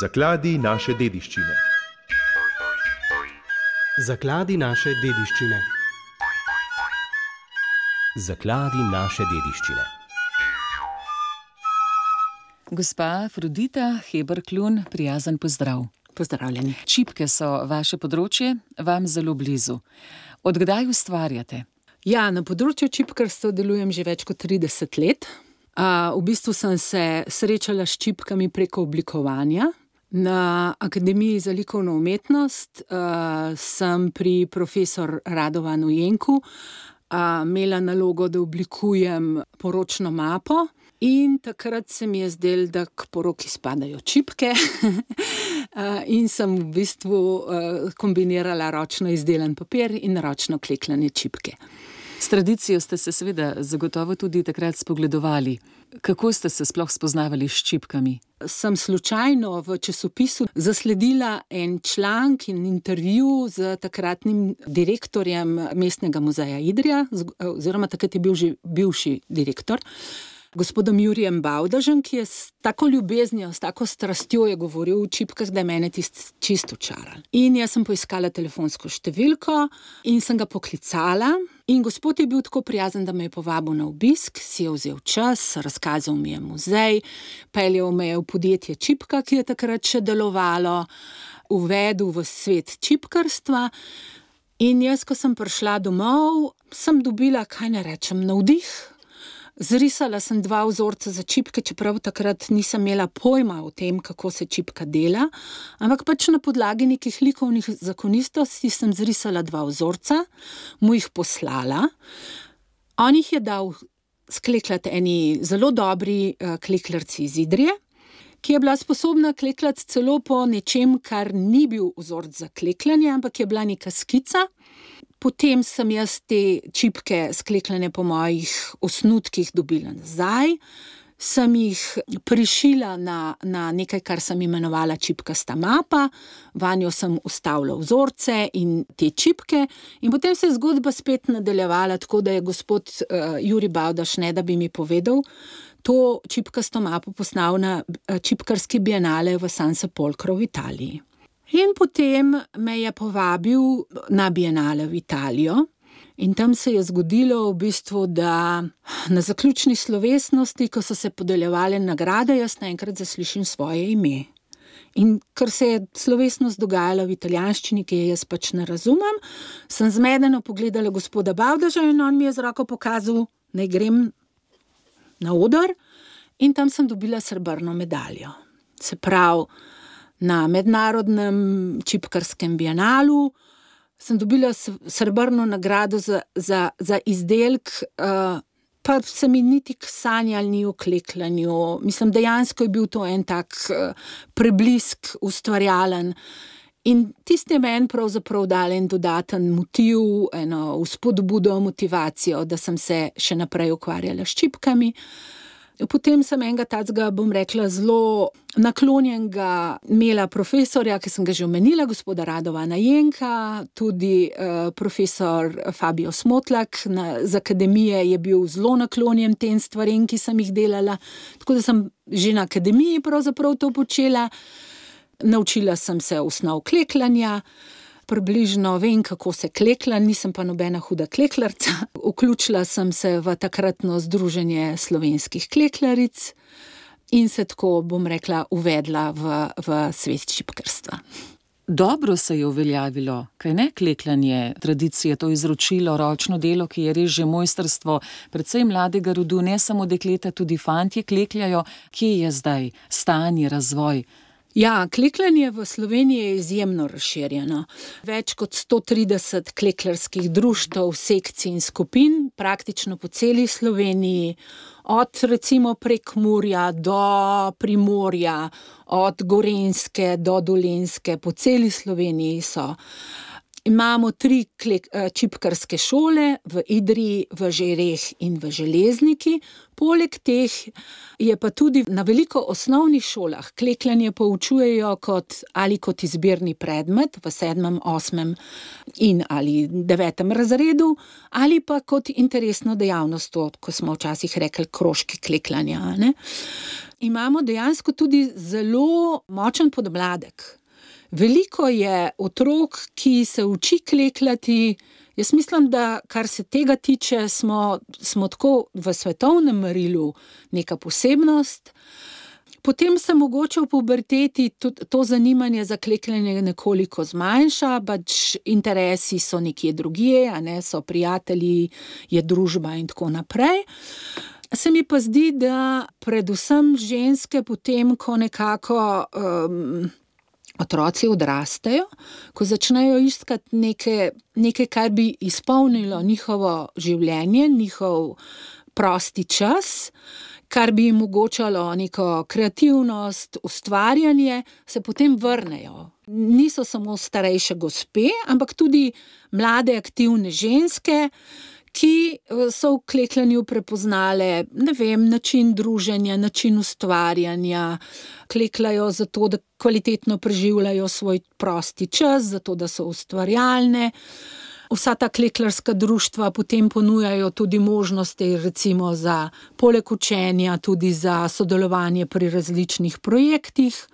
Zakladi naše dediščine. Zakladi naše dediščine. Zakladi naše dediščine. Gospa Afrodita Heber-Klun, prijazen pozdrav. Pozdravljeni. Čipke so vaše področje, vam zelo blizu. Od kdaj ustvarjate? Ja, na področju čipkarstva delujem že več kot 30 let. V bistvu sem se srečala s čipkami preko oblikovanja. Na Akademiji za likovno umetnost sem pri profesor Radovanu Jenku imela nalogo, da oblikujem poročno mapo, in takrat se mi je zdelo, da k poroki spadajo čipke in sem v bistvu kombinirala ročno izdelan papir in ročno klekljane čipke. S tradicijo ste se seveda zagotovo tudi takrat spogledovali. Kako ste se sploh spoznavali s čipkami? Sem slučajno v časopisu zasledila en članek in intervju z takratnim direktorjem Mestnega muzeja Idrija, oziroma takrat je bil že bivši direktor, gospodom Jurijem Bavdažem, ki je s tako ljubeznijo, s tako strastjo je govoril o čipkah, da je mene čisto očaral. In jaz sem poiskala telefonsko številko in sem ga poklicala. In gospod je bil tako prijazen, da me je povabil na obisk, si je vzel čas, razkazal mi je muzej, peljal me je v podjetje Čipka, ki je takrat še delovalo, uvedel v svet čipkarstva. In jaz, ko sem prišla domov, sem dobila, kaj ne rečem, navdih. Zrisala sem 2 vzorca za čipke, čeprav takrat nisem imela pojma o tem, kako se čipka dela, ampak pač na podlagi nekih likovnih zakonistosti sem zrisala 2 vzorca, mu jih poslala. On jih je dal sklekljati eni zelo dobri klekljarci iz Idrije, ki je bila sposobna klekljati celo po nečem, kar ni bil vzorc za klekljanje, ampak je bila neka skica. Potem sem jaz te čipke sklekljane po mojih osnutkih dobila nazaj, sem jih prišila na nekaj, kar sem imenovala čipkasta mapa, vanjo sem vstavila vzorce in te čipke in potem se je zgodba spet nadaljevala, tako da je gospod Jurij Bavdaž, ne da bi mi povedal, to čipkasto mapo poslal na čipkarski bienale v San Sepolcro v Italiji. In potem me je povabil na bienale v Italijo in tam se je zgodilo v bistvu, da na zaključni slovesnosti, ko so se podeljevale nagrade, jaz naenkrat zaslišim svoje ime. In ker se je slovesnost dogajala v italijanščini, ki je jaz pač ne razumem, sem zmedeno pogledala gospoda Bavdaža in on mi je z roko pokazal, naj grem na oder, in tam sem dobila srebrno medaljo. Se pravi, na mednarodnem čipkarskem bienalu sem dobila srebrno nagrado za izdelek, pa se mi niti sanjalo ni o klekljanju. Mislim, dejansko je bil to en tak preblisk ustvarjalen. In tisti je meni pravzaprav dal en dodaten motiv, eno vzpodbudo, motivacijo, da sem se še naprej ukvarjala s čipkami. Potem sem enega tacga, bom rekla, zelo naklonjenega imela profesorja, ki sem ga že omenila, gospoda Radovana Jenka, tudi profesor Fabio Smotlak z akademije je bil zelo naklonjen tem stvarem, ki sem jih delala, tako da sem že na akademiji pravzaprav to počela. Naučila sem se osnov klekljanja, približno vem, kako se kleklja, nisem pa nobena huda klekljarca. Vključila sem se v takratno združenje slovenskih klekljaric in se tako, bom rekla, uvedla v svet čipkarstva. Dobro se je uveljavilo, kaj ne, klekljanje, tradicije, to izročilo, ročno delo, ki je res že mojstrstvo precej mladega rodu, ne samo dekleta, tudi fantje klekljajo. Kje je zdaj stanje, razvoj? Ja, klekljanje v Sloveniji je izjemno razširjeno. Več kot 130 klekljarskih društev, sekcij in skupin, praktično po celi Sloveniji, od recimo Prekmurja do Primorja, od Gorenjske do Dolenjske, po celi Sloveniji so. Imamo 3 čipkarske šole v Idriji, v Žireh in v Železniki. Poleg teh je pa tudi na veliko osnovnih šolah klekljanje poučujejo kot izbirni predmet v 7., 8. in ali 9. razredu, ali pa kot interesno dejavnost, ko smo včasih rekli krožki klekljanja, ne. Imamo dejansko tudi zelo močen podmladek. Veliko je otrok, ki se uči klekljati. Jaz mislim, da kar se tega tiče, smo tako v svetovnem merilu neka posebnost. Potem se mogoče v puberteti tudi to zanimanje za klekljanje nekoliko zmanjša, pač interesi so nekje drugje, a ne, so prijatelji, je družba in tako naprej. Se mi pa zdi, da predvsem ženske potem, ko nekako otroci odrastejo, ko začnejo iskati nekaj, kar bi izpolnilo njihovo življenje, njihov prosti čas, kar bi jim omogočalo neko kreativnost, ustvarjanje, se potem vrnejo. Niso samo starejše gospe, ampak tudi mlade aktivne ženske, ki so v klekljanju prepoznale, način druženja, način ustvarjanja, klekljajo zato, da kvalitetno preživljajo svoj prosti čas, zato, da so ustvarjalne. Vsa ta klekljarska društva potem ponujajo tudi možnosti, recimo poleg učenja, tudi za sodelovanje pri različnih projektih.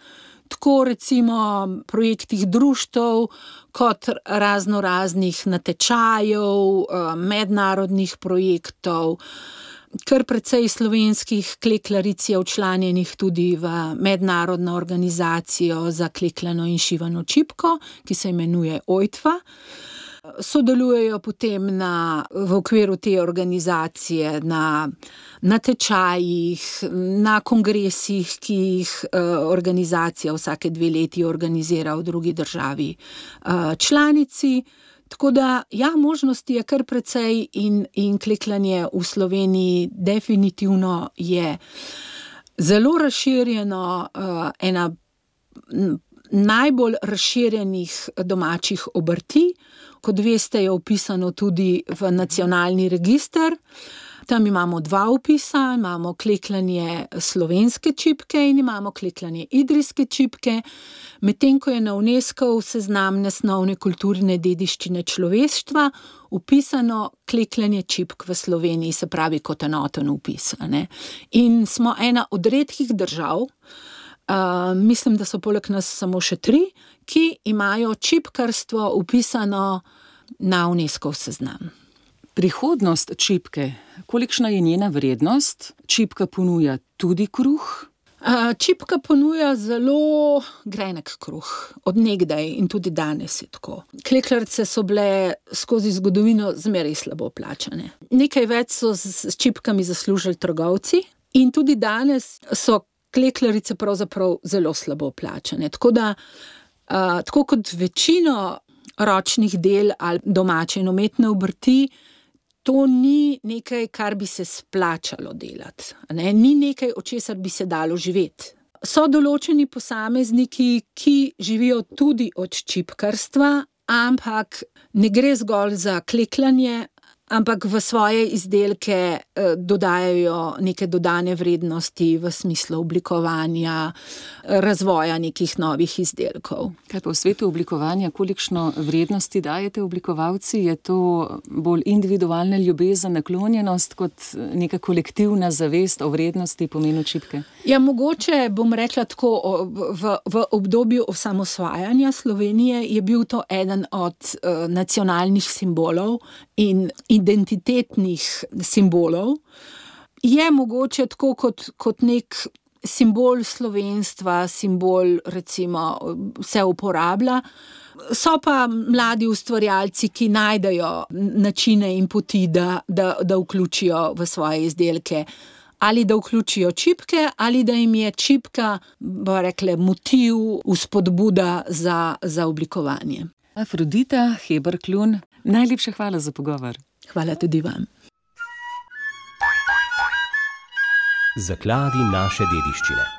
Tako recimo projektih društev, kot raznih natečajev, mednarodnih projektov. Kar precej slovenskih klekljaric je včlanjenih tudi v mednarodno organizacijo za klekljano in šivano čipko, ki se imenuje OJTFA. Sodelujejo potem v okviru te organizacije na natečajih, na kongresih, ki jih organizacija vsake 2 leti organizira v drugi državi članici. Tako da, možnosti je kar precej in klekljanje v Sloveniji definitivno je zelo razširjeno, ena najbolj razširjenih domačih obrti. Kot veste, je vpisano tudi v nacionalni register. Tam imamo 2 vpisa, imamo klekljanje slovenske čipke in imamo klekljanje idrijske čipke, medtem ko je na UNESCO seznam nesnovne kulturne dediščine človeštva vpisano klekljanje čipk v Sloveniji, se pravi kot enoten vpis, ne. In smo ena od redkih držav, mislim, da so poleg nas samo še 3, ki imajo čipkarstvo vpisano na UNESCO seznam. Prihodnost čipke, kolikšna je njena vrednost? Čipka ponuja tudi kruh? Čipka ponuja zelo grenek kruh, od nekdaj in tudi danes je tako. Klekljarice so bile skozi zgodovino zmeraj slabo plačane. Nekaj več so s čipkami zaslužili trgovci in tudi danes so klekljarice pravzaprav zelo slabo plačane. Tako da, tako kot večino ročnih del ali domače in umetne obrti, to ni nekaj, kar bi se splačalo delati, ne? Ni nekaj, od česar bi se dalo živeti. So določeni posamezniki, ki živijo tudi od čipkarstva, ampak ne gre zgolj za klekljanje, ampak v svoje izdelke dodajajo neke dodane vrednosti v smislu oblikovanja, razvoja nekih novih izdelkov. Kaj pa v svetu oblikovanja, kolikšno vrednosti dajete oblikovalci? Je to bolj individualna ljubezen, naklonjenost kot neka kolektivna zavest o vrednosti, pomenu čipke? Mogoče bom rekla tako, v obdobju osamosvajanja Slovenije je bil to eden od nacionalnih simbolov in identitetnih simbolov. Je mogoče tako kot nek simbol slovenstva, simbol recimo se uporablja. So pa mladi ustvarjalci, ki najdejo načine in poti, da vključijo v svoje izdelke. Ali da vključijo čipke, ali da jim je čipka, bomo rekli, motiv, vzpodbuda za oblikovanje. Afrodita Heber-Klun, najlepša hvala za pogovor. Hvala tudi vam. Zakladi naše dediščine.